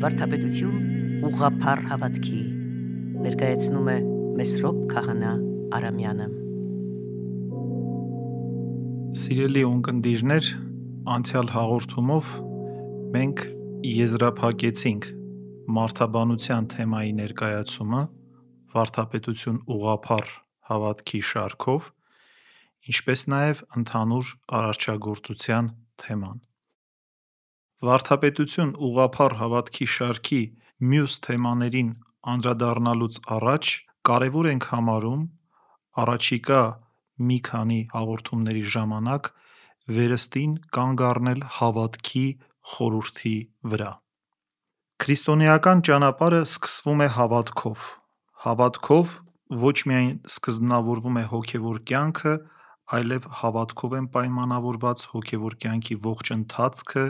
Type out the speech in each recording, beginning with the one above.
Վարդապետություն ուղղափառ հավատքի ներկայացնում է Մեսրոպ Քահանա Արամյանը։ Սիրելի ունկնդիրներ, անցյալ հաղորդումով մենք եզրափակեցինք մարդաբանության թեմայի ներկայացումը վարդապետություն ուղղափառ հավատքի շարքով, ինչպես նաև ընդհանուր արարչագործության թեման։ Վարդապետություն ուղղափառ հավատքի շարքի մյուս թեմաներին անդրադառնալուց առաջ կարևոր ենք համարում առաջիկա մի քանի հաղորդումների ժամանակ վերստին կանգ առնել հավատքի խորհրդի վրա։ Քրիստոնեական ճանապարհը սկսվում է հավատքով։ Հավատքով ոչ միայն սկզբնավորվում է հոգևոր կյանքը, այլև հավատքով են պայմանավորված հոգևոր կյանքի ողջ ընթացքը,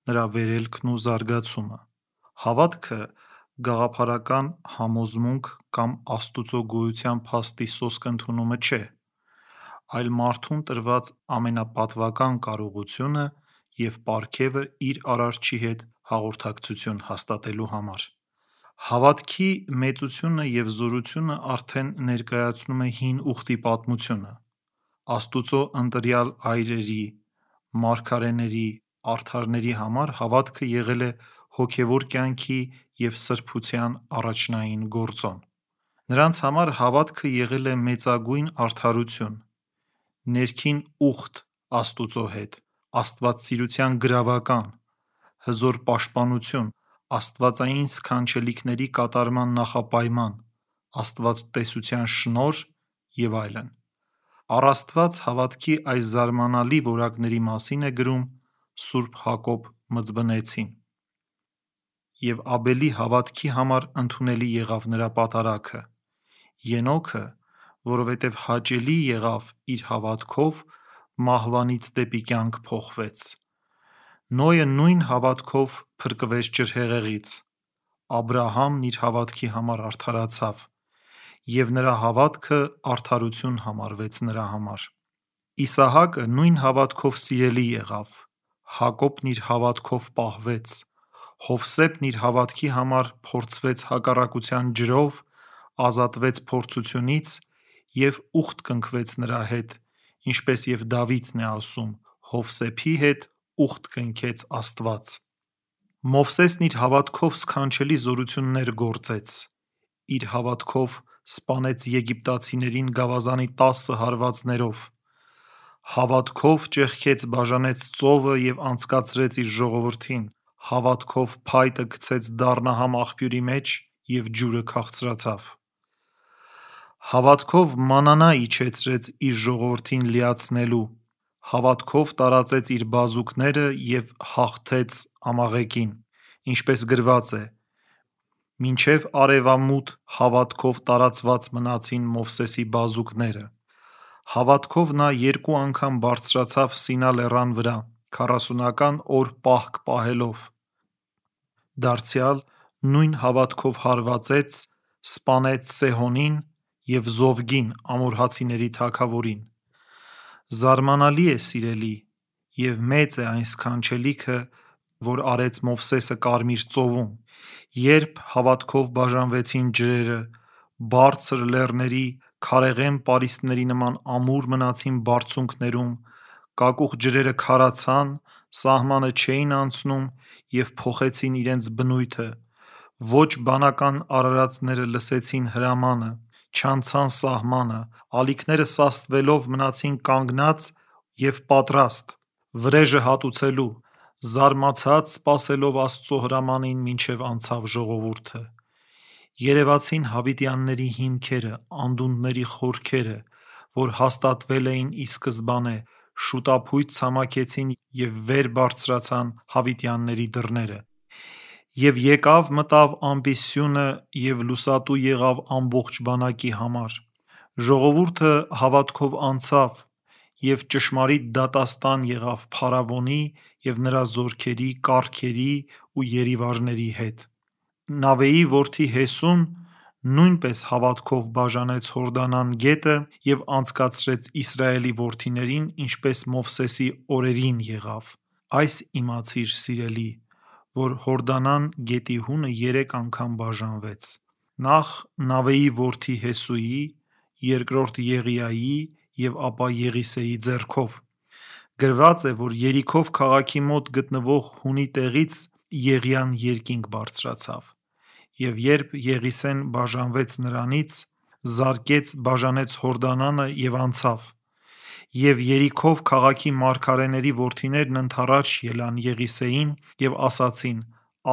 նրա վերելքն ու զարգացումը։ Հավատքը գաղափարական համոզմունք կամ Աստծո գոյության փաստի սոսկ ընդունումը չէ, այլ մարդուն տրված ամենապատվական կարողությունը և պարգևը իր Արարչի հետ հաղորդակցություն հաստատելու համար։ Հավատքի մեծությունը և զորությունը արդեն ներկայացնում է հին ուխտի պատմությունը։ Աստծո ընտրյալ այրերի, մարգարեների, արդարների համար հավատքը եղել է հոգևոր կյանքի և սրբության առաջնային գործոն։ Նրանց համար հավատքը եղել է մեծագույն արդարություն, ներքին ուխտ Աստծո հետ, աստվածասիրության գրավական, հզոր պաշտպանություն, աստվածային սքանչելիքների կատարման նախապայման, աստվածտեսության շնորհ և այլն։ Առ Աստված հավատքի այս զարմանալի որակների մասին է գրում Սուրբ Հակոբ Մզբնեցին։ Եվ Աբելի հավատքի համար ընդունելի եղավ նրա պատարագը։ Ենոքը, որովհետև հաճելի եղավ իր հավատքով, մահվանից դեպի կյանք փոխվեց։ Նոյը նույն հավատքով փրկվեց ջրհեղեղից։ Աբրահամն իր հավատքի համար արդարացավ, և նրա հավատքը արդարություն համարվեց նրա համար։ Իսահակը նույն հավատքով սիրելի եղավ։ Հակոբն իր հավատքով պահվեց։ Հովսեփն իր հավատքի համար փորձվեց հակառակության ջրով, ազատվեց փորձությունից և ուխտ կնքվեց նրա հետ, ինչպես և Դավիթն է ասում. «Հովսեփի հետ ուխտ կնքեց Աստված»։ Մովսեսն իր հավատքով սքանչելի զորություններ գործեց։ Իր հավատքով սպանեց եգիպտացիներին գավազանի 10 հարվածներով։ Հավատքով ճեղքեց բաժանեց ծովը և անցկացրեց իր ժողովրդին։ Հավատքով փայտը գցեց դառնահամ աղբյուրի մեջ, և ջուրը քաղցրացավ։ Հավատքով մանանա իջեցրեց իր ժողովրդին լիացնելու։ Հավատքով տարածեց իր բազուկները և հաղթեց ամաղեկին, ինչպես գրված է. «Մինչև արևամուտ հավատքով տարածված մնացին Մովսեսի բազուկները»։ Հավատքով նա 2 անգամ բարձրացավ Սինա լեռան վրա, 40 օր պահք պահելով։ Դարձյալ նույն հավատքով հարվածեց, սպանեց Սեհոնին և Զովգին ամորհացիների թագավորին։ Զարմանալի է, սիրելի, և մեծ է այն սքանչելիքը, որ արեց Մովսեսը Կարմիր ծովում, երբ հավատքով բաժանվեցին ջրերը, բարձր լեռների, քարեղեն պարիսպների նման ամուր մնացին բարձունքներում, կակուղ ջրերը քարացան, սահմանը չէին անցնում և փոխեցին իրենց բնույթը, ոչ բանական արարածները լսեցին հրամանը, չանցան սահմանը, ալիքները սաստվելով մնացին կանգնած և պատրաստ, վրեժը հատուցելու, զարմացած սպասելով Աստծո հրամանին, մինչև անցավ ժողովուրդը։ Երևացին հավիտյանների հիմքերը, անդունդների խորքերը, որ հաստատվել էին ի սկզբանե, շուտափույթ ցամաքեցին և վեր բարձրացան հավիտյանների դռները։ Եվ եկավ մտավ ամպի սյունը և լուսատու եղավ ամբողջ բանակի համար։ Ժողովուրդը հավատքով անցավ և ճշմարիտ դատաստան եղավ փարավոնի և նրա զորքերի, կառքերի ու երիվարների հետ։ Նավեի որդի Հեսուն նույնպես հավատքով բաժանեց Հորդանան գետը և անցկացրեց Իսրայելի որդիներին, ինչպես Մովսեսի օրերին եղավ։ Այս իմացիր, սիրելի, որ Հորդանան գետի հունը 3 անգամ բաժանվեց. նախ Նավեի որդի Հեսուի, երկրորդ Եղիայի և ապա Եղիսեի ձեռքով։ Գրված է, որ Երիքով քաղաքի մոտ գտնվող հունի տեղից Եղիան երկինք բարձրացավ, և երբ Եղիսեն բաժանվեց նրանից, զարկեց բաժանեց Հորդանանը և անցավ, և Երիքով քաղաքի մարգարեների որդիներն ընդառաջ ելան Եղիսեին և ասացին.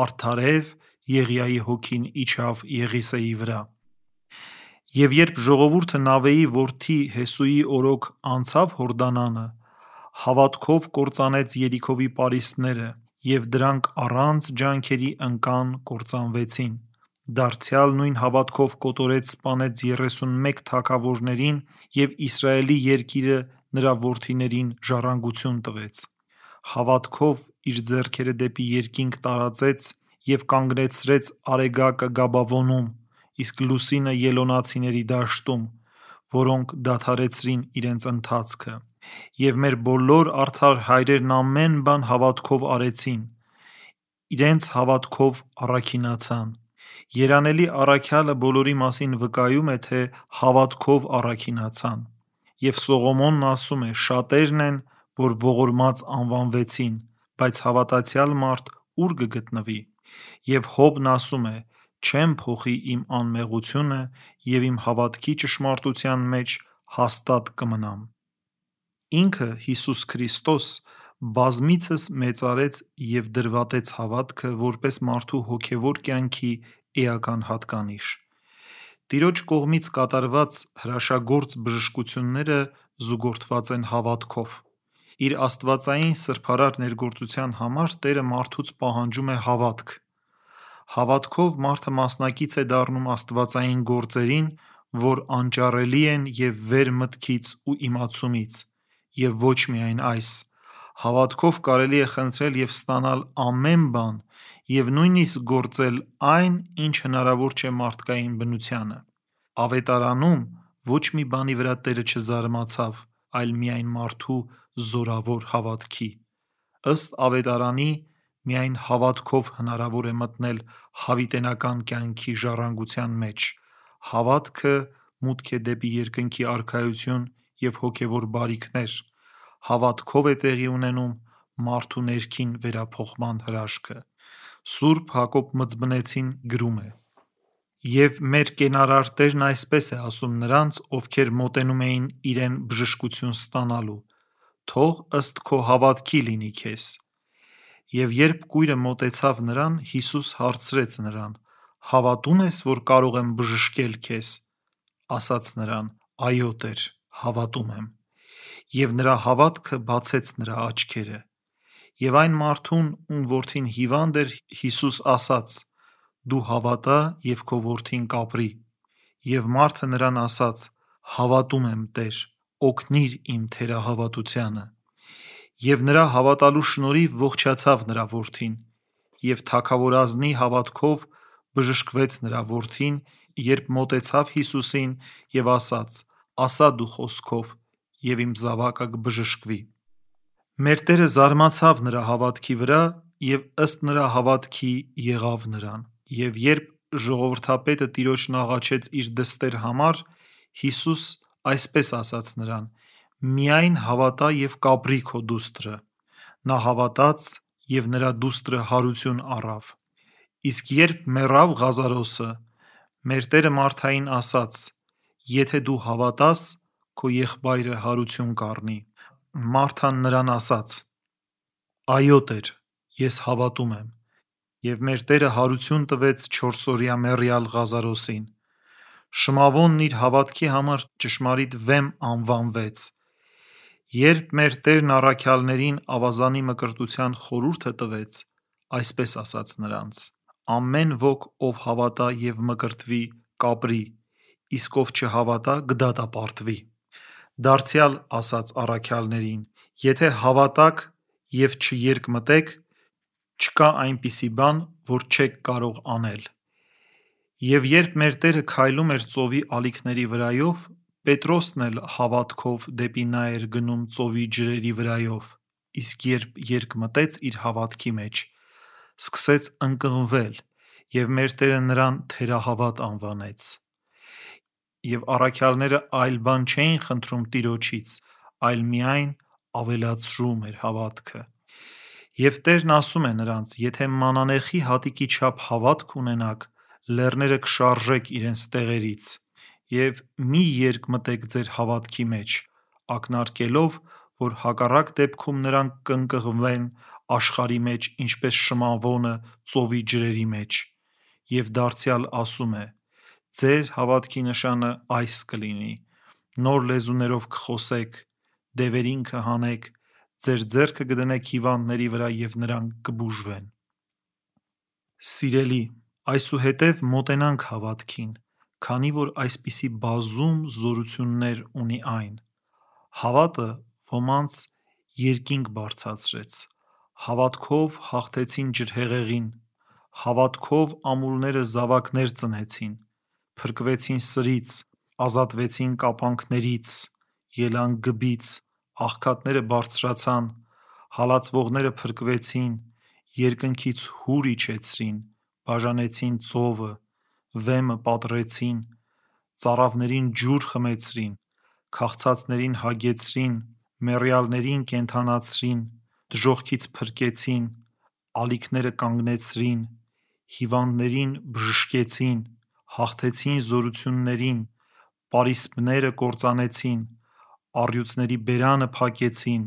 «Արդարև Եղիայի հոգին իջավ Եղիսեի վրա»։ Եվ երբ ժողովուրդը Նավեի որդի Հեսուի օրոք անցավ Հորդանանը, հավատքով կործանեց Երիքովի պարիսպները, և դրանք առանց ջանքերի ընկան կործանվեցին։ Դարձյալ նույն հավատքով կոտորեց սպանեց 31 թագավորներին և Իսրայելի երկիրը նրա որդիներին ժառանգություն տվեց։ Հավատքով իր ձեռքերը դեպի երկինք տարածեց և կանգնեցրեց Արեգակը Գաբավոնում, իսկ Լուսինը Ելոնացիների դաշտում, որոնք դադարեցրին իրենց ընթացքը։ Եվ մեր բոլոր արդար հայրերն ամեն բան հավատքով արեցին, իրենց հավատքով առաքինացան։ Երանելի առաքյալը բոլորի մասին վկայում է, թե հավատքով առաքինացան։ Եվ Սողոմոնն ասում է. «Շատերն են, որ ողորմած անվանվեցին, բայց հավատացյալ մարդ ո՞ւր կգտնվի»։ Եվ Հոբն ասում է. «Չեմ փոխի իմ անմեղությունը և իմ հավատքի ճշմարտության մեջ հաստատ կմնամ»։ Ինքը՝ Հիսուս Քրիստոս, բազմիցս մեծարեց և դրվատեց հավատքը որպես մարդու հոգևոր կյանքի էական հատկանիշ։ Տիրոջ կողմից կատարված հրաշագործ բժշկությունները զուգորդված են հավատքով։ Իր աստվածային սրբարար ներգործության համար Տերը մարդուց պահանջում է հավատք։ Հավատքով մարդը մասնակից է դառնում աստվածային գործերին, որ անճարելի են և վեր մտքից ու իմացումից, և ոչ միայն այս։ Հավատքով կարելի է խնդրել և ստանալ ամեն բան և նույնիսկ գործել այն, ինչ հնարավոր չէ մարդկային բնությանը։ Ավետարանում ոչ մի բանի վրա Տերը չզարմացավ, այլ միայն մարդու զորավոր հավատքի։ Ըստ Ավետարանի, միայն հավատքով հնարավոր է մտնել հավիտենական կյանքի ժառանգության մեջ։ Հավատքը մուտք է դեպի երկնքի արքայություն և հոգևոր բարիքներ։ Հավատքով է տեղի ունենում մարդու ներքին վերափոխման հրաշքը։ Սուրբ Հակոբ Մծբնեցին գրում է. «Եվ մեր կենարար Տերն այսպես է ասում նրանց, ովքեր մոտենում էին իրեն բժշկություն ստանալու. «Թող ըստ քո հավատքի լինի քեզ»։ Եվ երբ կույրը մոտեցավ նրան, Հիսուս հարցրեց նրան. «Հավատո՞ւմ ես, որ կարող եմ բժշկել քեզ»։ Ասաց նրան. «Այո Տեր, հավատում եմ»։ Եվ նրա հավատքը բացեց նրա աչքերը։ Եվ այն մարդուն, ում որդին հիվանդ էր, Հիսուս ասաց. «Դու հավատա, և քո որդին կապրի»։ Եվ մարդը նրան ասաց. «Հավատում եմ Տեր, օգնիր իմ թերահավատությանը»։ Եվ նրա հավատալու շնորհիվ ողջացավ նրա որդին։ Եվ թագավորազնի հավատքով բժշկվեց նրա որդին, երբ մոտեցավ Հիսուսին և ասաց. «Ասա դու խոսքով, և իմ զավակը կբժշկվի»։ Մեր Տերը զարմացավ նրա հավատքի վրա և ըստ նրա հավատքի եղավ նրան։ Եվ երբ ժողովրդապետը Տիրոջն աղաչեց իր դստեր համար, Հիսուս այսպես ասաց նրան. «Միայն հավատա և կապրի քո դուստրը»։ Նա հավատաց, և նրա դուստրը հարություն առավ։ Իսկ երբ մեռավ Ղազարոսը, մեր Տերը Մարթային ասաց. «Եթե դու հավատաս, քո եղբայրը հարություն կառնի»։ Մարթան նրան ասաց. «Այո Տեր, ես հավատում եմ»։ Եվ մեր Տերը հարություն տվեց 4-օրյա մեռյալ Ղազարոսին։ Շմավոնն իր հավատքի համար ճշմարիտ վեմ անվանվեց։ Երբ մեր Տերն առաքյալներին ավազանի մկրտության խորհուրդը տվեց, այսպես ասաց նրանց. «Ամեն ոք, ով հավատա և մկրտվի, կապրի, իսկ ով չհավատա, կդատապարտվի»։ Դարձյալ ասաց առաքյալներին. «Եթե հավատաք և չերկմտեք, չկա այնպիսի բան, որ չեք կարող անել»։ Եվ երբ մեր Տերը քայլում էր ծովի ալիքների վրայով, Պետրոսն էլ հավատքով դեպի նա էր գնում ծովի ջրերի վրայով, իսկ երբ երկմտեց իր հավատքի մեջ, սկսեց ընկղմվել, և մեր Տերը նրան թերահավատ անվանեց։ Եվ առաքյալները այլ բան չէին խնդրում Տիրոջից, այլ միայն ավելացրում էր հավատքը։ Եվ Տերն ասում է նրանց. «Եթե մանանեխի հատիկի չափ հավատք ունենաք, լեռները կշարժեք իրենց տեղերից, և մի երկմտեք ձեր հավատքի մեջ, ակնարկելով, որ հակառակ դեպքում նրանք կընկղմվեն աշխարհի մեջ, ինչպես շմավոնը ծովի ջրերի մեջ»։ Եվ դարձյալ ասում է. «Ձեր հավատքի նշանը այս կլինի. նոր լեզուներով կխոսեք, դևերին կհանեք, ձեր ձեռքը կդնեք հիվանդների վրա և նրանք կբուժվեն»։ Սիրելի, այսուհետև մոտենանք հավատքին, քանի որ այսպիսի բազում զորություններ ունի այն։ Հավատը ոմանց երկինք բարձրացրեց, հավատքով հաղթեցին ջրհեղեղին, հավատքով ամուլները զավակներ ծնեցին, փրկվեցին սրից, ազատվեցին կապանքներից, ելան գբից, աղքատները բարձրացան, հալածվողները փրկվեցին, երկնքից հուր իջեցրին, բաժանեցին ծովը, վեմը պատռեցին, ծառավներին ջուր խմեցրին, քաղցածներին հագեցրին, մեռյալներին կենդանացրին, դժոխքից փրկեցին, ալիքները կանգնեցրին, հիվանդներին բժշկեցին, հաղթեցին զորություններին, պարիսպները կործանեցին, առյուծների բերանը փակեցին,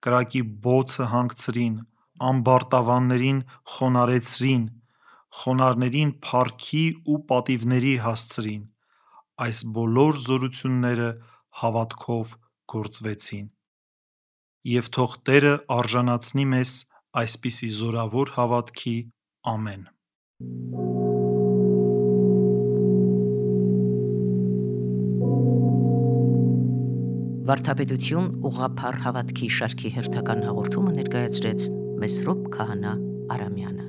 կրակի բոցը հանգցրին, ամբարտավաններին խոնարհեցրին, խոնարհներին փառքի ու պատիվների հասցրին։ Այս բոլոր զորությունները հավատքով գործվեցին։ Եվ թող Տերը արժանացնի մեզ այսպիսի զորավոր հավատքի։ Ամեն։ Վարդապետություն ուղղափառ հավատքի շարքի հերթական հաղորդումը ներկայացրեց Մեսրոպ Քահանա Արամյանը։